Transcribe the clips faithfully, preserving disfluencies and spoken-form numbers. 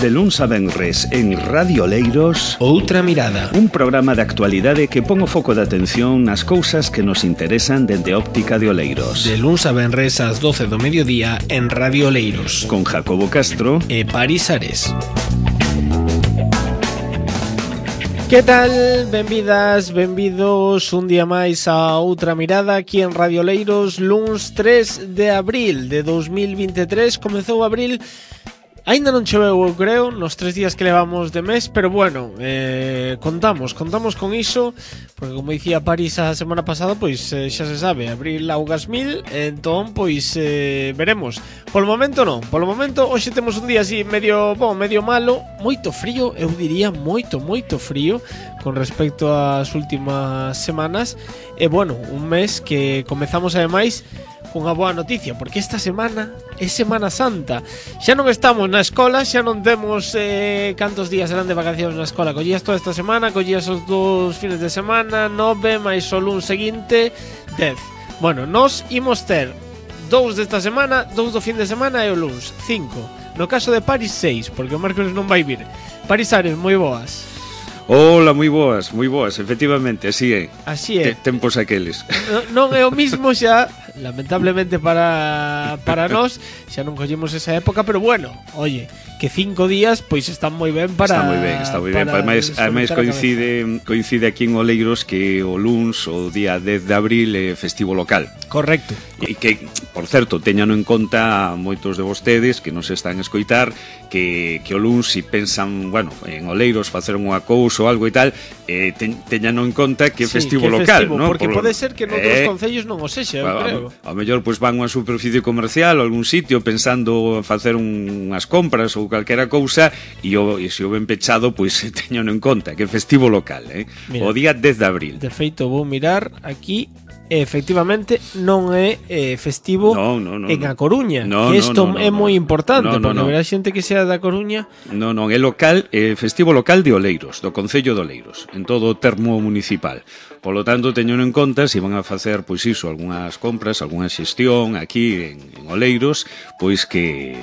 De luns a venres en Radio Oleiros, Outra Mirada, un programa de actualidade que pon o foco de atención nas cousas que nos interesan dende óptica de Oleiros. De luns a venres ás doce do mediodía en Radio Oleiros, con Jacobo Castro e Paris Ares. Que tal? Benvidas, benvidos un día máis a Outra Mirada aquí en Radio Oleiros, luns tres de abril de dos mil vinte e tres. Comezou abril. Ainda non choveu, eu creo, nos tres días que levamos de mes, pero bueno, eh, contamos, contamos con iso, porque como dicía Paris a semana pasada, pois eh, xa se sabe, abril augas mil, entón, pois eh, veremos. Polo momento non, polo momento, hoxe temos un día así medio, bom, medio malo, moito frío, eu diría moito, moito frío, con respecto ás últimas semanas, e bueno, un mes que comezamos ademais cunha boa noticia, porque esta semana é Semana Santa. Xa non estamos na escola, xa non temos eh, cantos días serán de vacacións na escola. Collías toda esta semana, collías os dous fines de semana, nove, máis o luns seguinte, dez. Bueno, nós imos ter dous desta semana, dous do fin de semana e o luns, cinco. No caso de Paris, seis, porque o mércoles non vai vir. Paris Ares, moi boas. Hola, moi boas, moi boas, efectivamente, así é. Así é. Te, tempos aqueles. No, non é o mismo xa, lamentablemente para para nós, xa non collemos esa época, pero bueno, oye, que cinco días pois están moi ben para. Está moi ben, está moi ben. Ademais, ademais coincide coincide aquí en Oleiros que o luns, o día dez de abril, é festivo local. Correcto. E que, por certo, teñano en conta moitos de vostedes que nos están a escoitar que, que o luns, si pensan, bueno, en Oleiros facer unha cousa ou algo e tal, eh, te, teñano en conta que é sí, festivo que local, festivo, ¿no? porque por, pode ser que noutros eh, concellos non o sexa, eu a, creo. A, a mellor pois van a unha superficie comercial ou algún sitio pensando facer un, unhas compras ou calquera cousa e, o, e se o ven pechado, pois teñano en conta que é festivo local, eh? Mira, o día dez de abril. De feito, vou mirar aquí. Efectivamente non é eh, festivo no, no, no, en A no. Coruña, no, que isto no, no, é no, moi importante, no, no, porque no. verá xente que sea da Coruña. Non, non, é local, é festivo local de Oleiros, do Concello de Oleiros, en todo o termo municipal. Polo tanto, teñeno en conta, se van a facer, pois iso, algunhas compras, algunha xestión aquí en, en Oleiros, pois que,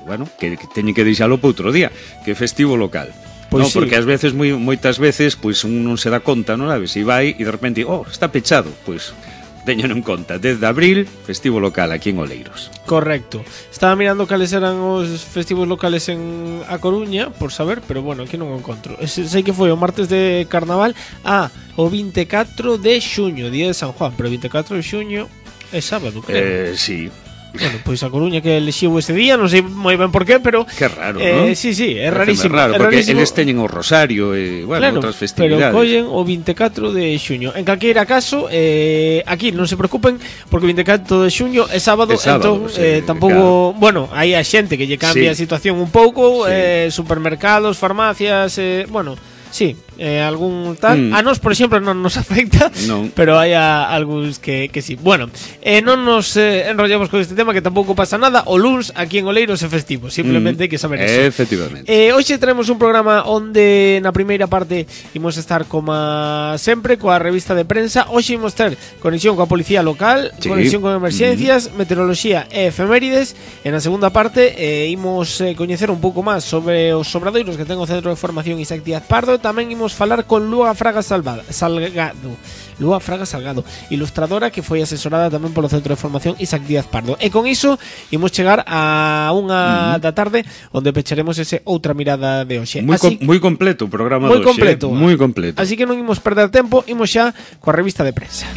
bueno, que, que teñen que deixalo para outro día, que é festivo local. Pois no, sí. Porque ás veces, moi, moitas veces, pois un non se dá conta, non sabes, se vai e de repente, oh, está pechado, pois teñeno en conta, dez de abril, festivo local aquí en Oleiros. Correcto. Estaba mirando cales eran os festivos locales en A Coruña, por saber, pero bueno, aquí non o encontro. Ese, sei que foi o martes de Carnaval, ah, o vinte e catro de xuño, día de San Juan, pero o vinte e catro de xuño é sábado, creo. Eh, sí. Bueno, pois a Coruña que elixiu ese día, non sei moi ben por qué, pero que raro, eh, non? Sí, sí, é Pareceme rarísimo, raro, é porque rarísimo. eles teñen o Rosario e, bueno, claro, outras festividades. Pero collen o vinte e catro de xuño. En calqueira caso, eh, aquí non se preocupen, porque o vinte e catro de xuño é sábado, é sábado entón sí, eh, tampouco, claro. Bueno, hai a xente que lle cambia sí. a situación un pouco, sí. eh, supermercados, farmacias, eh, bueno, sí, eh, algún tal. Mm. A nós, por exemplo, non nos afecta, non. pero hai a, algúns que, que sí. Bueno, eh, non nos eh, enrollamos con este tema, que tampouco pasa nada. O luns aquí en Oleiros é festivo, simplemente mm. hai que saber eso. Efectivamente. Eh, hoxe traemos un programa onde na primeira parte imos estar como sempre coa revista de prensa. Hoxe imos ter conexión coa policía local, sí. conexión con emerxencias, mm. meteoroloxía e efemérides. En a segunda parte eh, imos eh, coñecer un pouco máis sobre os obradoiros que ten o Centro de Formación Isaac Díaz Pardo. Tamén imos falar con Lúa Fraga Salvada, Salgado Lúa Fraga Salgado, ilustradora que foi asesorada tamén polo Centro de Formación Isaac Díaz Pardo. E con iso imos chegar a unha mm. da tarde onde pecharemos ese Outra Mirada de hoxe. Moi, Así, com, moi completo o programa moi de hoxe, completo, eh? Moi completo. Así que non imos perder tempo, imos xa coa revista de prensa.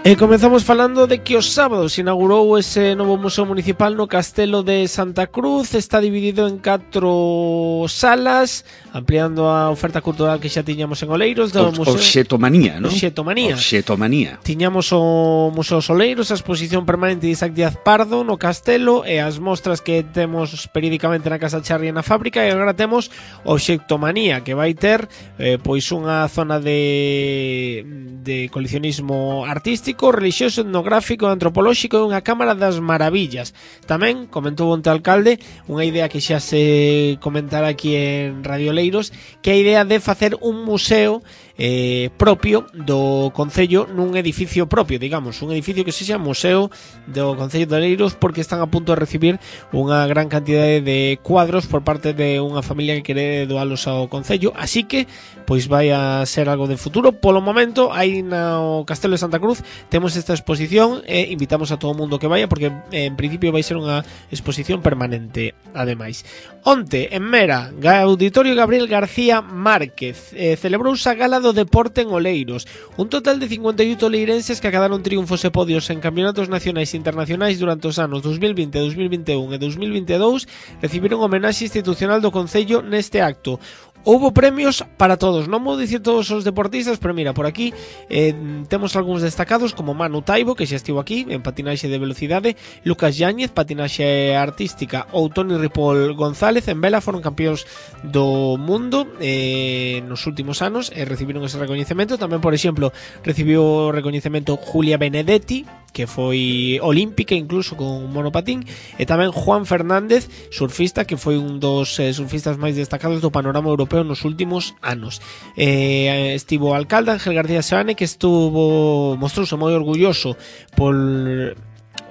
E comezamos falando de que os sábados inaugurou ese novo Museo Municipal no Castelo de Santa Cruz. Está dividido en catro salas, ampliando a oferta cultural que xa tiñamos en Oleiros do o, Museo. Oxetomanía, non? Oxetomanía. Oxetomanía. Tiñamos o Museo Soleiros, a exposición permanente de Isaac Díaz Pardo no Castelo e as mostras que temos periódicamente na Casa Charri e na Fábrica, e agora temos Oxetomanía, que vai ter eh, pois unha zona de, de coleccionismo artístico arqueolóxico, relixioso, etnográfico, antropolóxico e unha cámara das maravillas. Tamén comentou onte o alcalde unha idea que xa se comentara aquí en Radio Oleiros, que é a idea de facer un museo eh, propio do Concello nun edificio propio, digamos, un edificio que sexa museo do Concello de Oleiros, porque están a punto de recibir unha gran cantidade de cuadros por parte de unha familia que quere doalos ao Concello, así que pois vai a ser algo de futuro. Polo momento, aí no Castelo de Santa Cruz temos esta exposición e invitamos a todo o mundo que vaya, porque en principio vai ser unha exposición permanente. Ademais, onte en Mera, Auditorio Gabriel García Márquez, eh, celebrouse a gala do deporte en Oleiros. Un total de cincuenta e oito oleirenses que acadaron triunfos e podios en campeonatos nacionais e internacionais durante os anos dos mil vinte, dos mil vinte e un e dos mil vinte e dous recibiron homenaxe institucional do Concello neste acto. Houbo premios para todos, non vou dicir todos os deportistas, pero mira, por aquí eh, temos algúns destacados como Manu Taibo, que xa estivo aquí en patinaxe de velocidade, Lucas Yáñez, patinaxe artística, ou Toni Ripoll González en vela, foron campeóns do mundo eh, nos últimos anos e recibiron ese recoñecemento. Tamén, por exemplo, recibiu o recoñecemento Julia Benedetti, que foi olímpica incluso con monopatín, e tamén Juan Fernández, surfista, que foi un dos eh, surfistas máis destacados do panorama europeo nos últimos anos. Eh, estivo o alcalde Ángel García Seoane, que estuvo mostrouse moi orgulloso por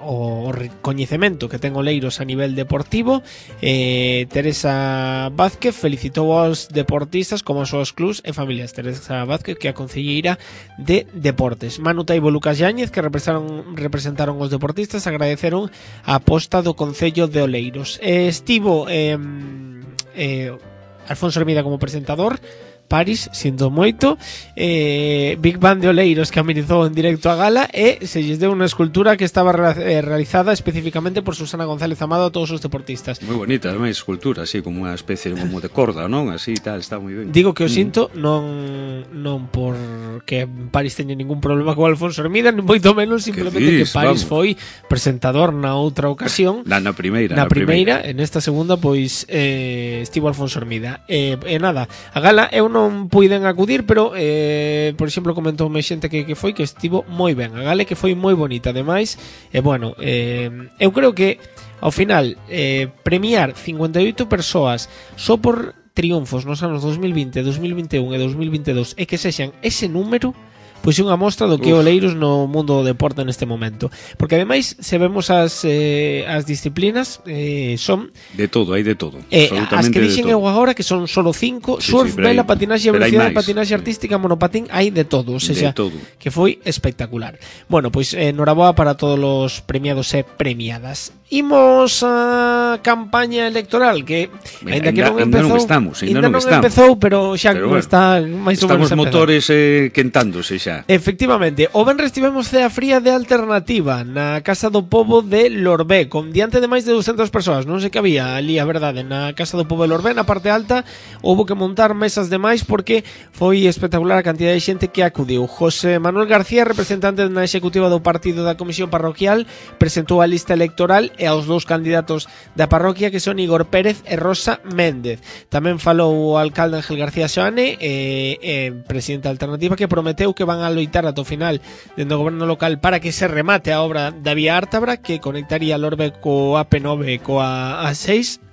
o recoñecemento que ten Oleiros a nivel deportivo. eh, Teresa Vázquez felicitou aos deportistas como aos súas clubs e familias. Teresa Vázquez, que é a concelleira de Deportes. Manu Taibo e Lucas Yáñez, que representaron, representaron os deportistas, agradeceron a aposta do Concello de Oleiros. eh, Estivo eh, eh, Alfonso Hermida como presentador, Paris, sinto moito, eh, Big Band de Oleiros que amenizou en directo a gala, e se lles deu unha escultura que estaba eh, realizada especificamente por Susana González Amado a todos os deportistas. Moi bonita, ademais, escultura, así como unha especie de, como de corda, non? Así tal, está moi ben. Digo que o sinto, mm. non non por que Paris teña ningún problema con Alfonso Hermida, nin moito menos, simplemente que, dis, que Paris vamos. foi presentador na outra ocasión. Na, na primeira, na, na primeira, primeira, en esta segunda, pois eh, estivo Alfonso Hermida. E eh, eh, nada, a gala eu non puiden acudir, pero eh, por exemplo comentoume xente que, que foi que estivo moi ben a gala, que foi moi bonita ademais. E bueno, eh, eu creo que ao final eh, premiar cincuenta e oito persoas só por triunfos nos anos dos mil vinte, dos mil vinte e un e dos mil vinte e dous, e que sexan ese número, pois é unha mostra do que é Oleiros no mundo do deporte neste momento. Porque ademais, se vemos as, eh, as disciplinas, eh, son de todo, hai de todo, eh, as que dixen eu agora, que son solo cinco, sí, surf, sí, vela, patinaxe, velocidade, patinaxe artística, monopatín, hai de todo, o sea, todo. Que foi espectacular. Bueno, pois eh, noraboa para todos os premiados e premiadas. Imos a campaña electoral, que ainda que non empezou, non estamos, ainda non, non estamos. empezou, pero xa pero bueno, está máis ou menos estamos motores eh, quentándose xa. Efectivamente, o venres tivemos cea fría de alternativa na Casa do Pobo de Lorbé, con diante de máis de doscientas persoas. Non sei que había ali, a verdade, na Casa do Pobo de Lorbé, na parte alta, houbo que montar mesas de máis porque foi espectacular a cantidad de xente que acudiu. José Manuel García, representante na executiva do partido da Comisión Parroquial, presentou a lista electoral e aos dous candidatos da parroquia, que son Igor Pérez e Rosa Méndez. Tamén falou o alcalde Ángel García Seoane, e, e presidente da alternativa, que prometeu que van a loitar ata o final dentro do goberno local para que se remate a obra da vía Ártabra, que conectaría Lorbe co A P nove e coa A seis.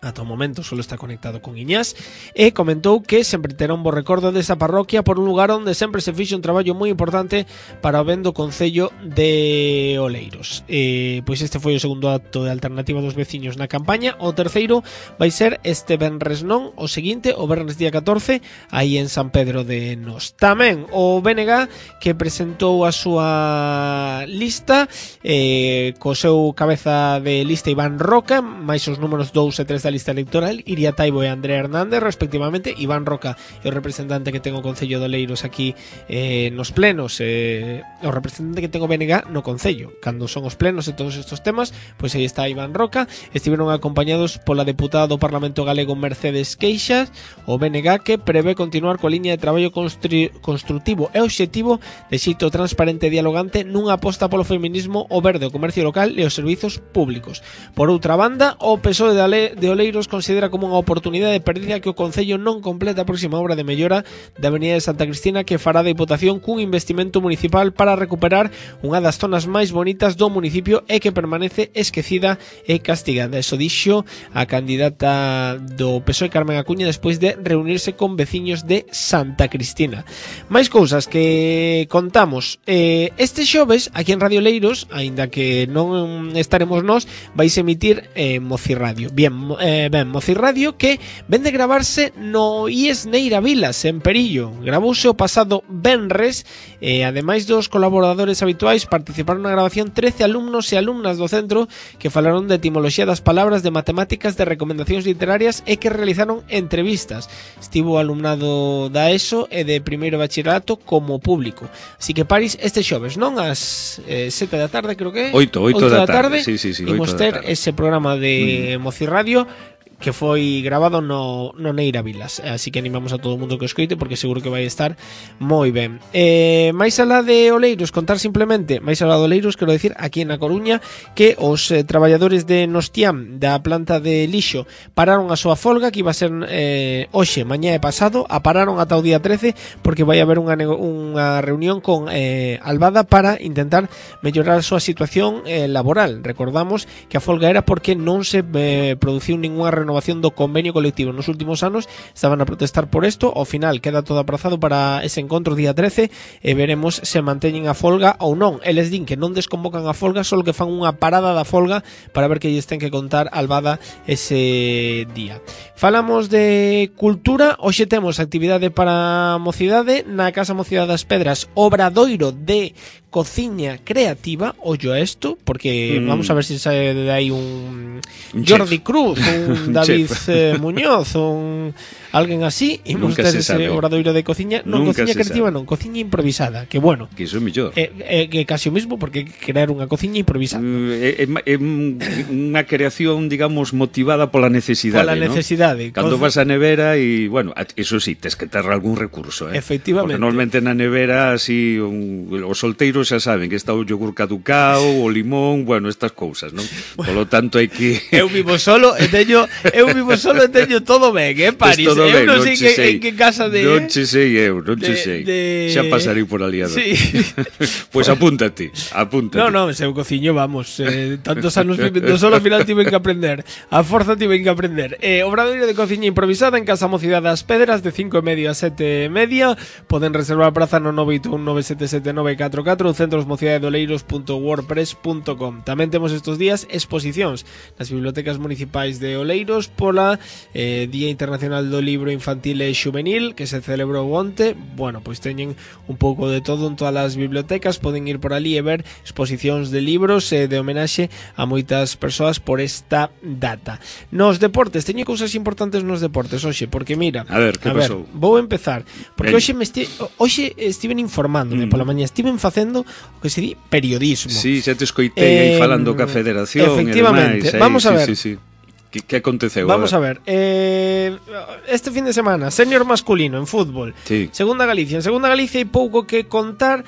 Ata o momento solo está conectado con Iñás, e comentou que sempre terá un bo recordo desa parroquia por un lugar onde sempre se fixo un traballo moi importante para o ben do Concello de Oleiros. E, pois este foi o segundo acto de alternativa dos veciños na campaña. O terceiro vai ser este venres non, o seguinte, o venres día catorce, aí en San Pedro de Nos. Tamén o B N G, que presentou a súa lista eh, co seu cabeza de lista Iván Roca, máis os números dous e tres da lista electoral, Iria Taibo e Andrea Hernández respectivamente. Iván Roca é o representante que ten o Concello de Oleiros aquí eh, nos plenos, eh, o representante que ten o B N G no Concello cando son os plenos e todos estes temas, pois aí está Iván Roca. Estiveron acompañados pola deputada do Parlamento Galego Mercedes Queixas, o B N G, que prevé continuar coa liña de traballo constru- construtivo e obxectivo de xeito transparente e dialogante nunha aposta polo feminismo, o verde, o comercio local e os servizos públicos. Por outra banda, o P S O E de, Ale- de Oleiros considera como unha oportunidade perdida que o Concello non completa a próxima obra de mellora da Avenida de Santa Cristina que fará da Diputación cun investimento municipal para recuperar unha das zonas máis bonitas do municipio e que permanece esquecida e castigada. Eso dixo a candidata do P S O E Carmen Acuña despois de reunirse con veciños de Santa Cristina. Máis cousas que contamos. Eh, este xoves, aquí en Radio Oleiros, aínda que non estaremos nós, vais emitir eh, Mocirradio. Bien, eh, ben, Mocirradio que ven de gravarse no I E S Neira Vilas, en Perillo. Gravouse o pasado venres e, eh, ademais dos colaboradores habituais, participaron na grabación trece alumnos e alumnas do centro que falaron de etimoloxía das palabras, de matemáticas, de recomendacións literarias e que realizaron entrevistas. Estivo o alumnado da ESO e de primeiro bachillerato como público. Así que Paris este xoves, non? As eh, sete da tarde, creo que é? oito, oito da tarde. tarde. Sí, sí, sí, imos ter ese programa de mm. Mocirradio que foi grabado no, no Neira Vilas, así que animamos a todo o mundo que o escoite porque seguro que vai estar moi ben. Eh, máis alá de Oleiros, contar simplemente, máis alá de Oleiros, quero decir, aquí na Coruña, que os eh, traballadores de Nostiam da planta de lixo pararon a súa folga, que iba a ser eh, hoxe, mañá e pasado, a pararon ata o día trece porque vai haber unha, unha reunión con eh, Albada para intentar mellorar a súa situación eh, laboral. Recordamos que a folga era porque non se eh, produciu ninguna renovación do convenio colectivo nos últimos anos, estaban a protestar por isto, ao final queda todo aprazado para ese encontro día trece e veremos se manteñen a folga ou non. Eles din que non desconvocan a folga, só que fan unha parada da folga para ver que lles ten que contar Albada ese día. Falamos de cultura, hoxe temos actividade para mocidade na Casa Mocidade das Pedras, obradoiro de cociña creativa, ollo a isto, porque mm. vamos a ver se si sae de aí un, un Jordi chef. Cruz, un David eh, Muñoz, un alguén así, e imos ter ese obradoiro de cociña, non Nunca cociña creativa, non, cociña improvisada, que bueno, que iso é mellor. É, é, que casi o mismo porque crear unha cociña improvisada. É, é, é unha creación, digamos, motivada pola necesidade, pola necesidade. ¿no? Cando vas á nevera e, bueno, eso sí, tes que ter algún recurso, eh? Efectivamente. Porque normalmente na nevera, así, un, os solteiros xa saben que está o yogur caducao, o limón, bueno, estas cousas, non? Polo tanto, hai que... Eu vivo solo e teño, eu vivo solo e teño todo ben, eh, París? Todo eu ben, non non sei que, en que casa de... Non che sei eu, non che sei. De... Xa pasarei por aliado. Sí. Pois pues apúntate, apúntate. Non, non, se eu cociño, vamos, eh, tantos anos vivendo solo, ao final tiven que aprender. A forza tiven que aprender. Eh, obradoiro de cociña improvisada en Casa Mocidade das Pedras de cinco e media a sete e media. Poden reservar praza no nove oito un nove sete sete nove catro catro ou centros mocidade de oleiros punto wordpress punto com. Tamén temos estes días exposicións nas bibliotecas municipais de Oleiros pola eh, Día Internacional do Libro Infantil e Xuvenil que se celebrou onte. Bueno, pois teñen un pouco de todo en todas as bibliotecas, poden ir por ali e ver exposicións de libros e de homenaxe a moitas persoas por esta data. Nos deportes, teño cousas importantes nos deportes hoxe, porque mira, a ver, que a pasou? Ver, vou empezar, porque Ben. hoxe me esti hoxe estiven informándome mm. pola mañá, estiven facendo o que se di periodismo. Sí, xa te escoitei eh, aí falando ca Federación. Efectivamente, e demais, vamos a sí, ver. Sí, sí. Que, que aconteceu? Vamos a ver, a ver. Eh, este fin de semana, senior masculino en fútbol, sí. Segunda Galicia. En Segunda Galicia hai pouco que contar.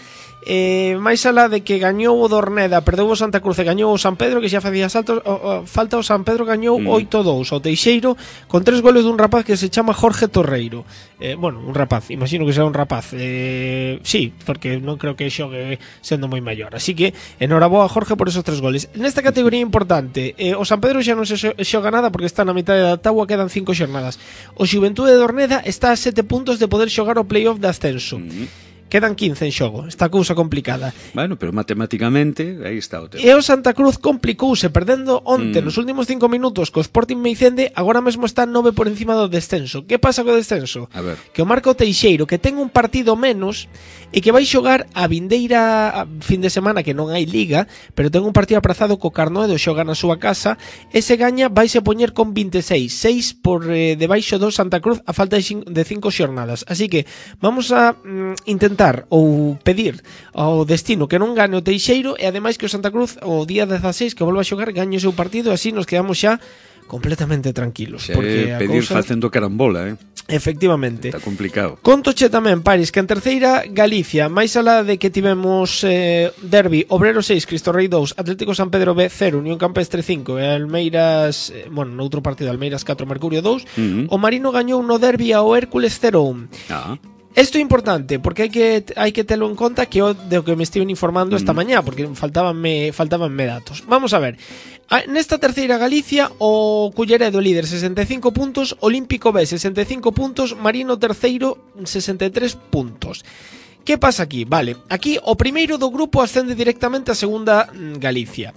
Eh, máis alá de que gañou o Dorneda, perdeu o Santa Cruz e gañou o San Pedro, que xa facía saltos, o, o, falta o San Pedro gañou mm. oito dous ao Teixeiro con tres goles dun rapaz que se chama Jorge Torreiro. Eh, bueno, un rapaz, imagino que será un rapaz. Eh, sí, porque non creo que xogue sendo moi maior. Así que enhoraboa a Jorge por esos tres goles. Nesta categoría importante, eh, o San Pedro xa non se xoga nada porque está na mitad da tábua, quedan cinco xornadas. O Xuventude de Dorneda está a sete puntos de poder xogar o playoff de ascenso. Mm. Quedan quince en xogo, esta cousa complicada. Bueno, pero matemáticamente aí está o tema. E o Santa Cruz complicouse perdendo onte mm. nos últimos cinco minutos co Sporting Meicende, agora mesmo está nove por encima do descenso. Que pasa co descenso? A ver. Que o Marco Teixeiro, que ten un partido menos e que vai xogar a vindeira fin de semana que non hai liga, pero ten un partido aprazado co Carnoedo, xoga na súa casa, e se gaña vaise poñer con veintiséis, seis por eh, debaixo do Santa Cruz a falta de cinco xornadas. Así que vamos a mm, intentar ou pedir ao destino que non gane o Teixeiro e ademais que o Santa Cruz o día dezaseis que volva a xogar gañe o seu partido, así nos quedamos xa completamente tranquilos. Xe, porque a pedir cousa... facendo carambola, eh? Efectivamente. Está complicado. Contoche tamén, Paris, que en terceira Galicia, máis alá de que tivemos eh, derbi Obrero seis, Cristo Rei dous, Atlético San Pedro B cero, Unión Campestre cinco e Almeiras, eh, bueno, noutro partido Almeiras catro, Mercurio dous, uh-huh. O Marino gañou no derbi ao Hércules cero un. Ah. Isto é importante porque hai que hai que telo en conta que o de que me estiven informando esta mm. mañá, porque faltabanme faltabanme datos. Vamos a ver. Nesta terceira Galicia, o Culleredo líder sesenta e cinco puntos, Olímpico B sesenta e cinco puntos, Marino terceiro sesenta e tres puntos. Que pasa aquí? Vale, aquí o primeiro do grupo ascende directamente a segunda Galicia.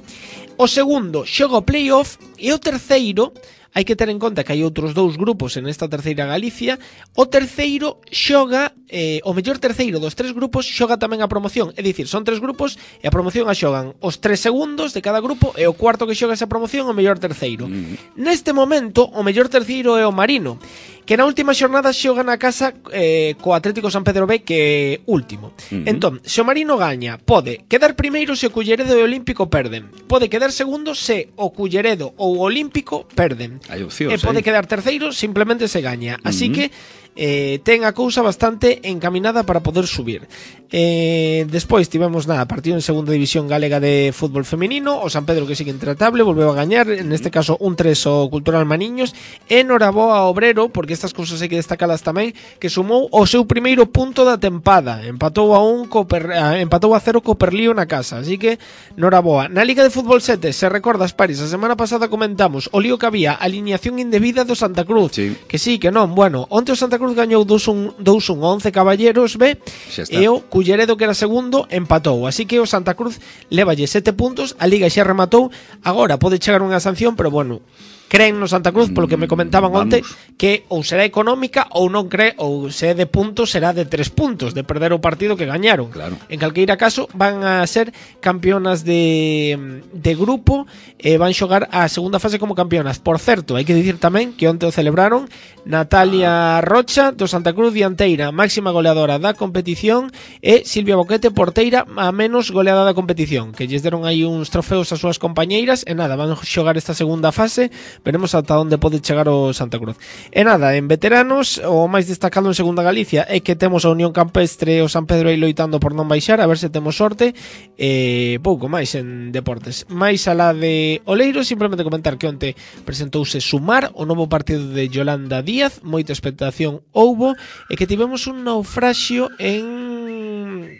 O segundo xoga o playoff e o terceiro, hai que ter en conta que hai outros dous grupos en esta terceira Galicia, o terceiro xoga, eh, o mellor terceiro dos tres grupos xoga tamén a promoción, é dicir, son tres grupos e a promoción a xogan os tres segundos de cada grupo e o cuarto que xoga esa promoción o mellor terceiro. Mm. Neste momento, o mellor terceiro é o Marino, que na última xornada xoga na casa eh, co Atlético San Pedro B, que é último. Mm-hmm. Entón, se o Marino gaña, pode quedar primeiro se o Culleredo e o Olímpico perden, pode quedar segundo se o Culleredo ou o Olímpico perden. Hai opcións, e pode eh? quedar terceiro, simplemente se gaña. Así uh-huh. que eh, ten a cousa bastante encaminada para poder subir. Eh, despois tivemos nada, partido en segunda división galega de fútbol femenino, o San Pedro que sigue intratable, volveu a gañar, en este caso un tres o Cultural Maniños, e noraboa ao Obrero, porque estas cousas hai que destacalas tamén, que sumou o seu primeiro punto da tempada, empatou a un co per, empatou a cero co Perlío na casa, así que noraboa. Na Liga de Fútbol sete, se recordas, Paris, a semana pasada comentamos o lío que había, alineación indebida do Santa Cruz, sí. que sí, que non, bueno, onte o Santa Cruz gañou dos un once Caballeros B, e o Culleredo, que era segundo, empatou, así que o Santa Cruz levalle sete puntos, a Liga xa rematou, agora pode chegar unha sanción, pero bueno, creen no Santa Cruz, polo que me comentaban onte, que ou será económica ou non cree, ou se é de puntos será de tres puntos, de perder o partido que gañaron. Claro. En calqueira caso, van a ser campeonas de, de grupo e van xogar a segunda fase como campeonas. Por certo, hai que dicir tamén que onte o celebraron Natalia Rocha do Santa Cruz, dianteira, máxima goleadora da competición, e Silvia Boquete, porteira, a menos goleada da competición, que lles deron aí uns trofeos ás súas compañeiras, e nada, van xogar esta segunda fase. Veremos ata onde pode chegar o Santa Cruz. E nada, en veteranos, o máis destacado en segunda Galicia é que temos a Unión Campestre e o San Pedro aí loitando por non baixar, a ver se temos sorte, e pouco máis en deportes. Máis alá de Oleiros, simplemente comentar que onte presentouse Sumar, o novo partido de Yolanda Díaz, moita expectación houbo, e que tivemos un naufraxio en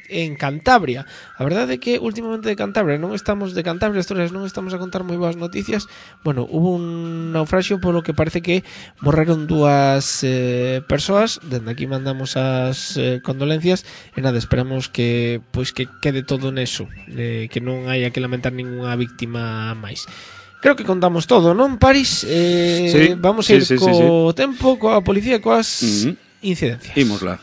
en Cantabria. A verdade é que últimamente de Cantabria non estamos de Cantabria, Asturias non estamos a contar moi boas noticias. Bueno, hubo un naufraxio polo que parece que morreron dúas eh, persoas. Dende aquí mandamos as eh, condolencias e nada, esperamos que pois que quede todo neso, eh, que non haya que lamentar ninguna víctima máis. Creo que contamos todo, non, Paris? Eh, sí, vamos a ir sí, sí, co sí, sí. tempo, coa policía, coas uh-huh. incidencias. Imosla.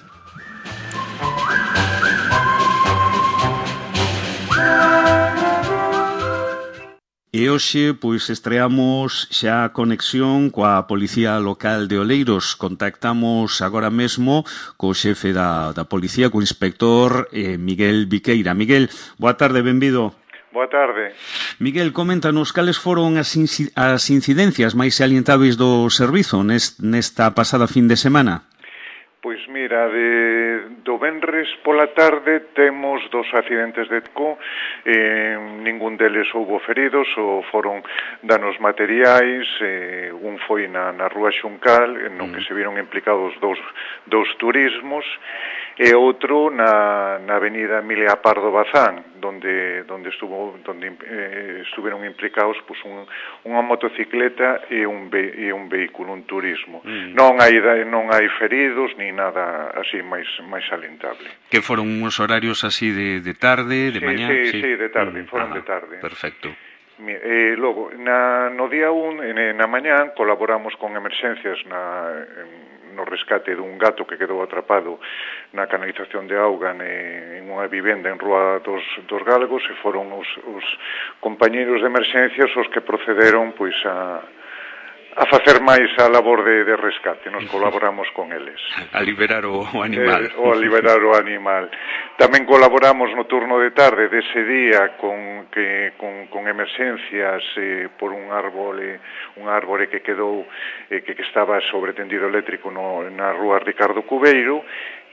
E hoxe, pois, estreamos xa a conexión coa Policía Local de Oleiros. Contactamos agora mesmo co xefe da, da Policía, co inspector eh, Miguel Viqueira. Miguel, boa tarde, benvido. Boa tarde. Miguel, coméntanos cales foron as, inci- as incidencias máis salientáveis do servizo nest, nesta pasada fin de semana? Pois mira, de, do venres pola tarde temos dos accidentes de tráfico, eh, ningún deles houbo feridos, ou foron danos materiais, eh, un foi na, na Rúa Xuncal, no que se viron implicados dous, dous turismos, e outro na, na avenida Emilia Pardo Bazán, donde donde estuvo donde eh, estuveron implicados pues, un, unha motocicleta e un ve, e un vehículo, un turismo. Mm. Non hai non hai feridos ni nada así máis máis alentable. Que foron uns horarios así de, de tarde, de sí, mañá? Sí, sí, sí, de tarde, mm. foron ah, de tarde. Perfecto. Eh, logo, na, no día un, na mañá, colaboramos con emerxencias na, no rescate dun gato que quedou atrapado na canalización de auga ne, en unha vivenda en Rúa dos, dos Galgos, e foron os, os compañeiros de emerxencias os que procederon pois a, a facer máis a labor de, de rescate, nos colaboramos con eles. A liberar o, o animal. Eh, o a liberar o animal. Tamén colaboramos no turno de tarde dese día con, que, con, con emerxencias eh, por un árbore, un árbore que quedou, eh, que, que estaba sobre tendido eléctrico no, na rúa Ricardo Cubeiro,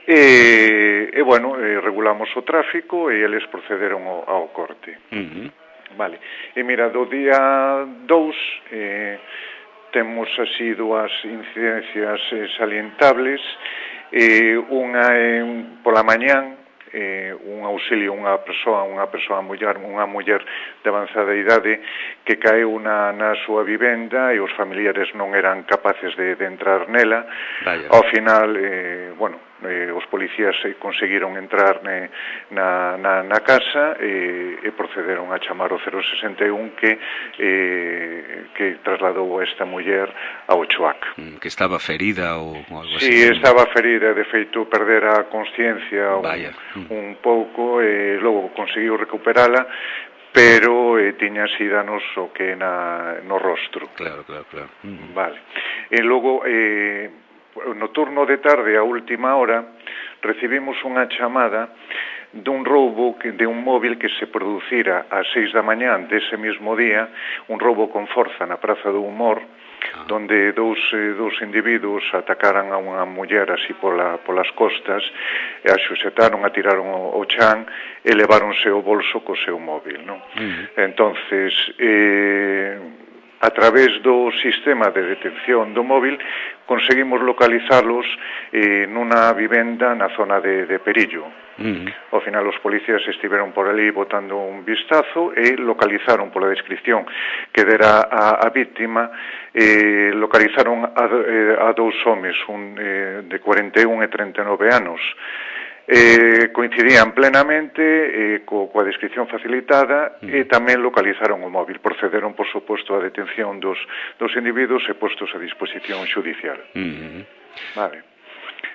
e, e bueno, eh, regulamos o tráfico e eles procederon ao, ao corte. Uh-huh. Vale. E mira, do día dous... Eh, temos así dúas incidencias eh, salientables, eh, unha é pola mañán, eh, un auxilio unha persoa, unha persoa muller, unha muller de avanzada idade que caeu na, na súa vivenda e os familiares non eran capaces de, de entrar nela. Vaya. Ao final, eh, bueno, eh, os policías eh, conseguiron entrar ne, na, na, na casa e, e procederon a chamar o cero sesenta e un que eh, que trasladou a esta muller ao Choac. Mm, que estaba ferida ou, ou algo así. Sí, estaba ferida, de feito perdera a consciencia un, mm. un pouco e logo conseguiu recuperala, pero eh, tiña así danos o que na, no rostro. Claro, claro, claro. Mm. Vale. E logo, eh, no turno de tarde, a última hora, recibimos unha chamada dun roubo que, de un móvil que se producira ás seis da mañán dese mesmo día, un roubo con forza na Praza do Humor, ah. donde dous, eh, dous individuos atacaran a unha muller así pola, polas costas, e a xuxetaron, a tiraron o, o chan e leváronse o bolso co seu móvil, non? Uh-huh. Entonces, eh, a través do sistema de detención do móvil conseguimos localizarlos eh, nunha vivenda na zona de, de Perillo. Uh-huh. Ao final os policías estiveron por ali botando un vistazo e localizaron pola descripción que dera a, a víctima, eh, localizaron a, a dous homes, un eh, de cuarenta e un e trinta e nove anos. Eh, coincidían plenamente eh, co, coa descripción facilitada mm. e tamén localizaron o móvil. Procederon, por suposto, a detención dos, dos individuos e postos a disposición xudicial. Mm. Vale.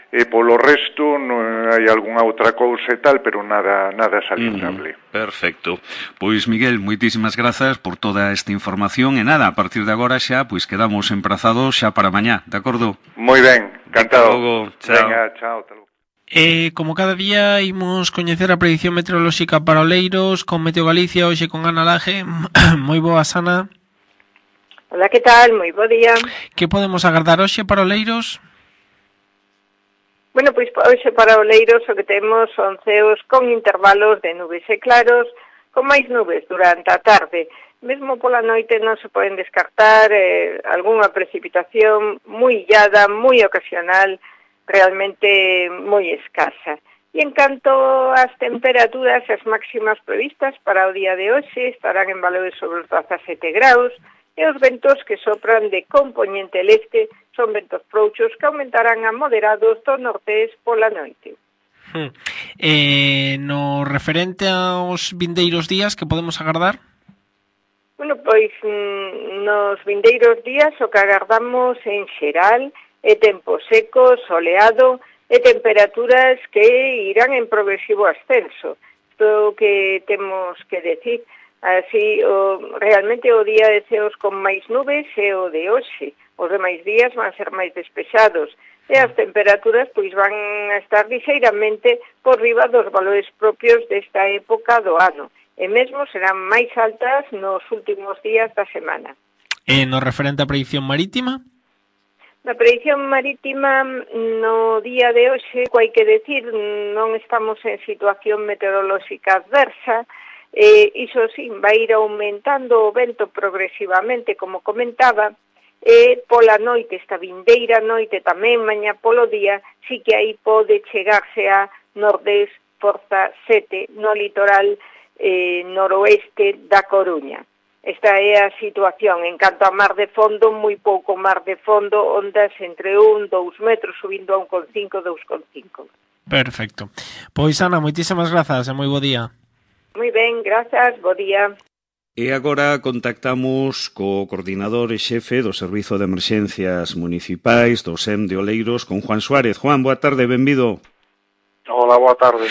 E polo resto non hai algunha outra cousa e tal, pero nada nada salientable. Mm, perfecto. Pois Miguel, moitísimas grazas por toda esta información e nada, a partir de agora xa pois quedamos emprazados xa para mañá, de acordo? Moi ben, encantado. Hasta logo. Chao. Venga, chao, hasta logo. E como cada día imos coñecer a predicción meteorolóxica para Oleiros con Meteo Galicia, hoxe con Ana Laje. Moi boas, Ana. Hola, que tal? Moi bo día. Que podemos agardar hoxe para Oleiros? Bueno, pois hoxe para Oleiros o que temos son ceos con intervalos de nubes e claros, con máis nubes durante a tarde. Mesmo pola noite non se poden descartar eh, algunha precipitación moi illada, moi ocasional, realmente moi escasa. E en canto ás temperaturas, as máximas previstas para o día de hoxe estarán en valores sobre os dezasete graus e os ventos que sopran de compoñente leste son ventos frouxos que aumentarán a moderados do nortés pola noite. Hmm. Eh, no referente aos vindeiros días que podemos agardar? Bueno, pois nos vindeiros días o que agardamos en xeral e tempo seco, soleado e temperaturas que irán en progresivo ascenso. Isto que temos que decir. Así, o, realmente o día de ceos con máis nubes é o de hoxe. Os demais días van ser máis despexados e as temperaturas pois van a estar lixeiramente por riba dos valores propios desta época do ano. E mesmo serán máis altas nos últimos días da semana. E no referente á predicción marítima? Na predicción marítima, no día de hoxe, hai que decir, non estamos en situación meteorolóxica adversa, e iso sí, vai ir aumentando o vento progresivamente, como comentaba, e pola noite, esta vindeira noite tamén, mañá polo día, sí que aí pode chegarse a nordés, forza sete, no litoral eh, noroeste da Coruña. Esta é a situación. En canto a mar de fondo, moi pouco mar de fondo, ondas entre un, dous metros, subindo a un con cinco, dous con cinco. Perfecto. Pois, Ana, moitísimas grazas e moi bo día. Moi ben, grazas, bo día. E agora contactamos co coordinador e xefe do Servizo de Emerxencias Municipais do S E M de Oleiros, con Juan Suárez. Juan, boa tarde, benvido. Hola, boa tarde.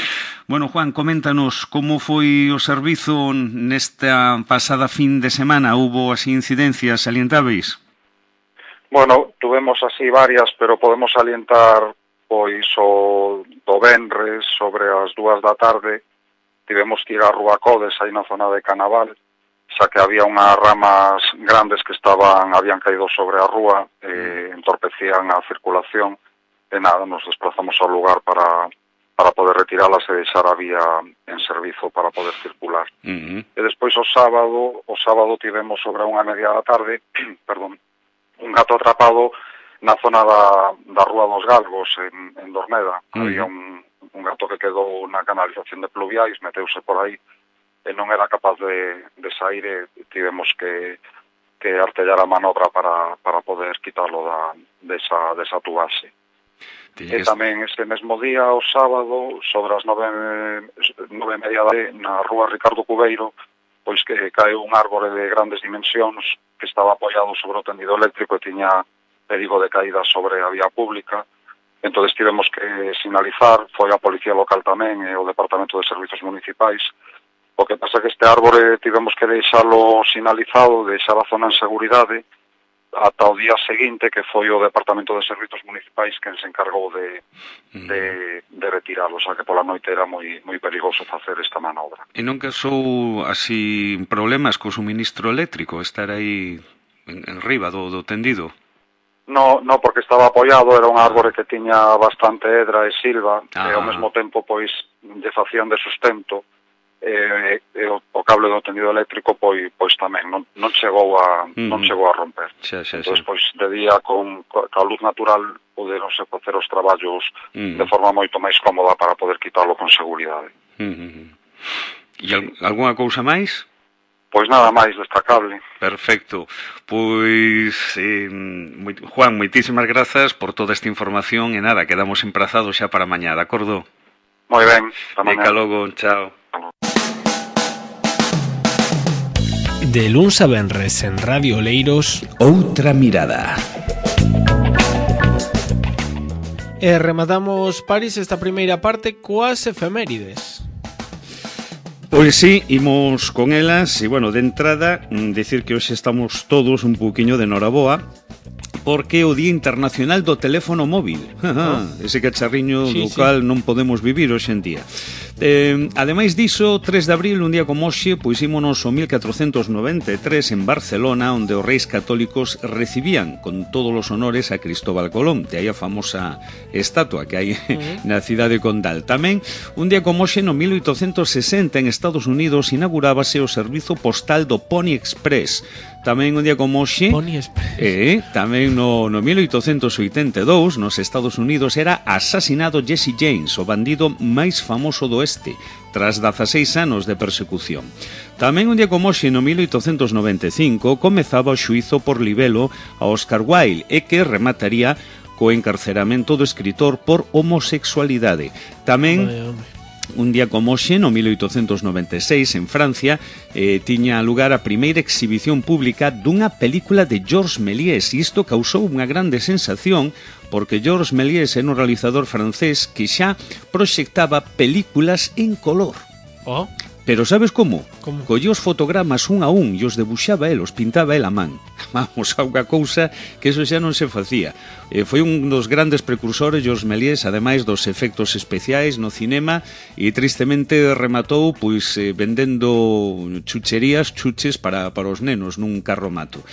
Bueno, Juan, coméntanos como foi o servizo nesta pasada fin de semana. Hubo así incidencias salientáveis? Bueno, tuvemos así varias, pero podemos salientar pois o do venres sobre as dúas da tarde. Tivemos que ir a Rúa Codes, aí na zona de Canaval, xa que había unhas ramas grandes que estaban habían caído sobre a rúa e entorpecían a circulación. E nada, nos desplazamos ao lugar para, para poder retiralas e deixar a vía en servizo para poder circular. Uh-huh. E despois o sábado, o sábado tivemos sobre unha media da tarde, perdón, un gato atrapado na zona da, da Rúa dos Galgos, en, en Dorneda. Uh-huh. Había un, un gato que quedou na canalización de pluviais, meteuse por aí, e non era capaz de, de sair e tivemos que, que artellar a manobra para, para poder quitarlo da, desa, desa tubaxe. E tamén ese mesmo día, o sábado, sobre as nove, nove e media de, na rúa Ricardo Cubeiro, pois que caeu un árbore de grandes dimensións que estaba apoiado sobre o tendido eléctrico e tiña perigo de caída sobre a vía pública. Entón tivemos que sinalizar, foi a Policía Local tamén e o Departamento de Servizos Municipais. O que pasa que este árbore tivemos que deixalo sinalizado, deixar a zona en seguridade, ata o día seguinte, que foi o Departamento de Servizos Municipais quen se encargou de, de, de retiralo, xa que pola noite era moi, moi perigoso facer esta manobra. E non casou así problemas co suministro eléctrico, estar aí en, en riba do, do tendido? No, no, porque estaba apoiado, era un árbore que tiña bastante edra e silva, ah. e ao mesmo tempo, pois, lle facían de sustento, e, e o, o cable do tendido eléctrico pois, pois tamén non, non chegou a mm. non chegou a romper. Xa, xa, entón, xa. Pois de día con a luz natural poderonse facer os traballos mm. de forma moito máis cómoda para poder quitalo con seguridade. Mm. E al, algunha cousa máis? Pois nada máis destacable. Perfecto. Pois, eh, Juan, moitísimas grazas por toda esta información e nada, quedamos emprazados xa para mañá, de acordo? Moi ben, para mañá. Dica logo, chao. De luns a venres en Radio Oleiros, Outra Mirada. E rematamos, Paris, esta primeira parte coas efemérides. Pois sí, imos con elas e, bueno, de entrada, decir que hoxe estamos todos un pouquiño de noraboa porque é o Día Internacional do Teléfono Móvil. Oh. Ese cacharriño sí, do cal sí. non podemos vivir hoxe en día. Eh, ademais diso, tres de abril, un día como hoxe, pois ímonos o mil catrocentos noventa e tres en Barcelona, onde os reis católicos recibían con todos os honores a Cristóbal Colón. De aí a famosa estatua que hai uh-huh. na cidade condal. Tamén, un día como hoxe, no mil oitocentos sesenta, en Estados Unidos, inaugurábase o servizo postal do Pony Express. Tamén un día como hoxe, Pony Express. Eh, tamén no, no mil oitocentos oitenta e dous, nos Estados Unidos, era asasinado Jesse James, o bandido máis famoso do este, tras dezaseis anos de persecución. Tamén un día como hoxe, no mil oitocentos noventa e cinco, comezaba o xuízo por libelo a Oscar Wilde e que remataría co encarceramento do escritor por homosexualidade. Tamén... Vaya, un día como hoxe, no mil oitocentos noventa e seis, en Francia, eh, tiña lugar a primeira exhibición pública dunha película de Georges Méliès, e isto causou unha grande sensación, porque Georges Méliès era un realizador francés que xa proxectaba películas en color. Oh. Pero sabes como? Como? Collía os fotogramas un a un e os debuxaba el, os pintaba el a man. Vamos, a unha cousa que eso xa non se facía. Eh, foi un dos grandes precursores, Georges Méliès, ademais dos efectos especiais no cinema, e tristemente rematou pois eh, vendendo chucherías, chuches para, para os nenos nun carromato.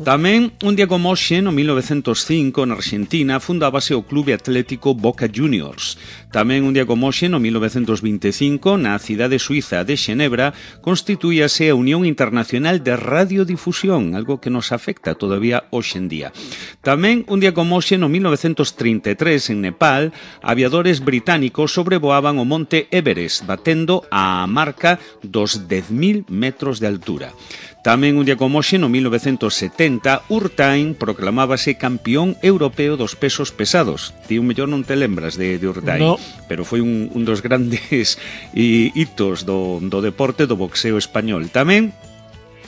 Tamén, un día como hoxe, no mil novecentos cinco, na Argentina, fundábase o Clube Atlético Boca Juniors. Tamén, un día como hoxe, no mil novecentos vinte e cinco, na cidade suiza de Xenebra, constituíase a Unión Internacional de Radiodifusión, algo que nos afecta todavía hoxe en día. Tamén, un día como hoxe, no mil novecentos trinta e tres, en Nepal, aviadores británicos sobrevoaban o monte Everest, batendo a marca dos dez mil metros de altura. Tamén un día como hoxe, no mil novecentos setenta, Urtain proclamábase campeón europeo dos pesos pesados. Ti un mellor non te lembras de, de Urtain, no. Pero foi un, un dos grandes hitos do, do deporte do boxeo español. Tamén,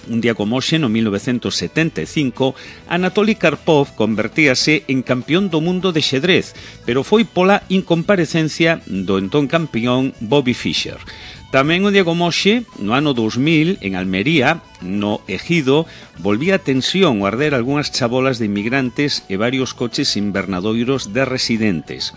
un día como hoxe, no mil novecentos setenta e cinco, Anatoly Karpov convertíase en campeón do mundo de xedrez, pero foi pola incomparecencia do entón campeón Bobby Fischer. Tamén un día como hoxe, no ano dous mil, en Almería, no Ejido, volvía a tensión o arder algunhas chabolas de inmigrantes e varios coches invernadoiros de residentes.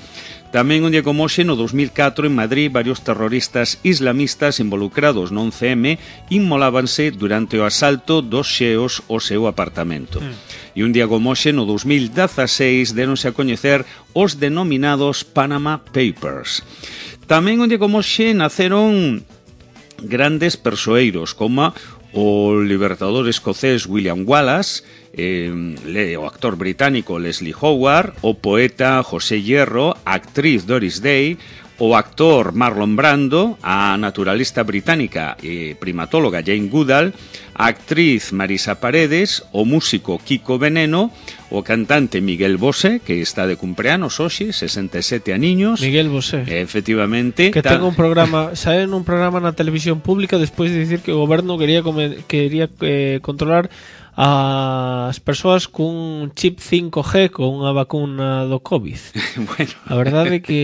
Tamén un día como hoxe, no dous mil catro, en Madrid, varios terroristas islamistas involucrados no once eme inmolábanse durante o asalto dos xeos ao seu apartamento. Mm. E un día como hoxe, no dous mil dezaseis, deronse a coñecer os denominados Panama Papers. Tamén un día como hoxe naceron grandes persoeiros, como o libertador escocés William Wallace, eh, o actor británico Leslie Howard, o poeta José Hierro, a actriz Doris Day, o actor Marlon Brando, a naturalista británica e primatóloga Jane Goodall, a actriz Marisa Paredes, o músico Kiko Veneno, o cantante Miguel Bosé, que está de cumpleanos hoxe, sesenta e sete aniños. Miguel Bosé. Efectivamente. Que ten un programa, sae nun programa na televisión pública despois de dicir que o goberno quería come, quería eh, controlar as persoas cun chip cinco G con unha vacuna do COVID. Bueno, a verdade é que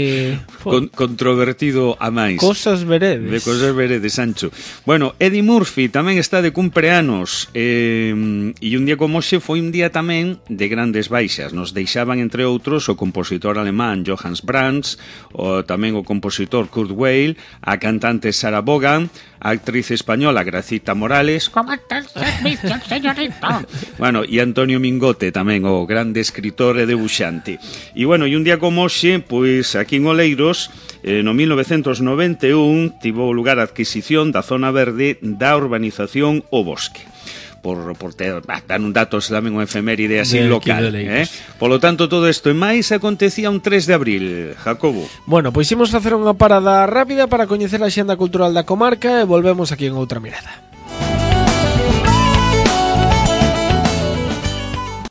Con, controvertido a máis. Cosas veredes. De cosas veredes, Sancho. Bueno, Eddie Murphy tamén está de cumpleanos, eh, e un día como hoxe foi un día tamén de grandes baixas. Nos deixaban, entre outros, o compositor alemán Johannes Brahms, o tamén o compositor Kurt Weill, a cantante Sarah Vaughan, a actriz española Gracita Morales. ¿Cómo está el servicio, señorita? Bueno, e Antonio Mingote tamén, o grande escritor e debuxante. E bueno, e un día como hoxe, pois aquí en Oleiros, eh, no mil novecentos noventa e un tivo lugar a adquisición da zona verde da urbanización O Bosque. Por, por ter, bah, dan un datos tamén unha efeméride así de local, eh? Polo tanto, todo isto e máis acontecía un tres de abril, Jacobo. Bueno, pois imos facer unha parada rápida para coñecer a xenda cultural da comarca e volvemos aquí en Outra Mirada.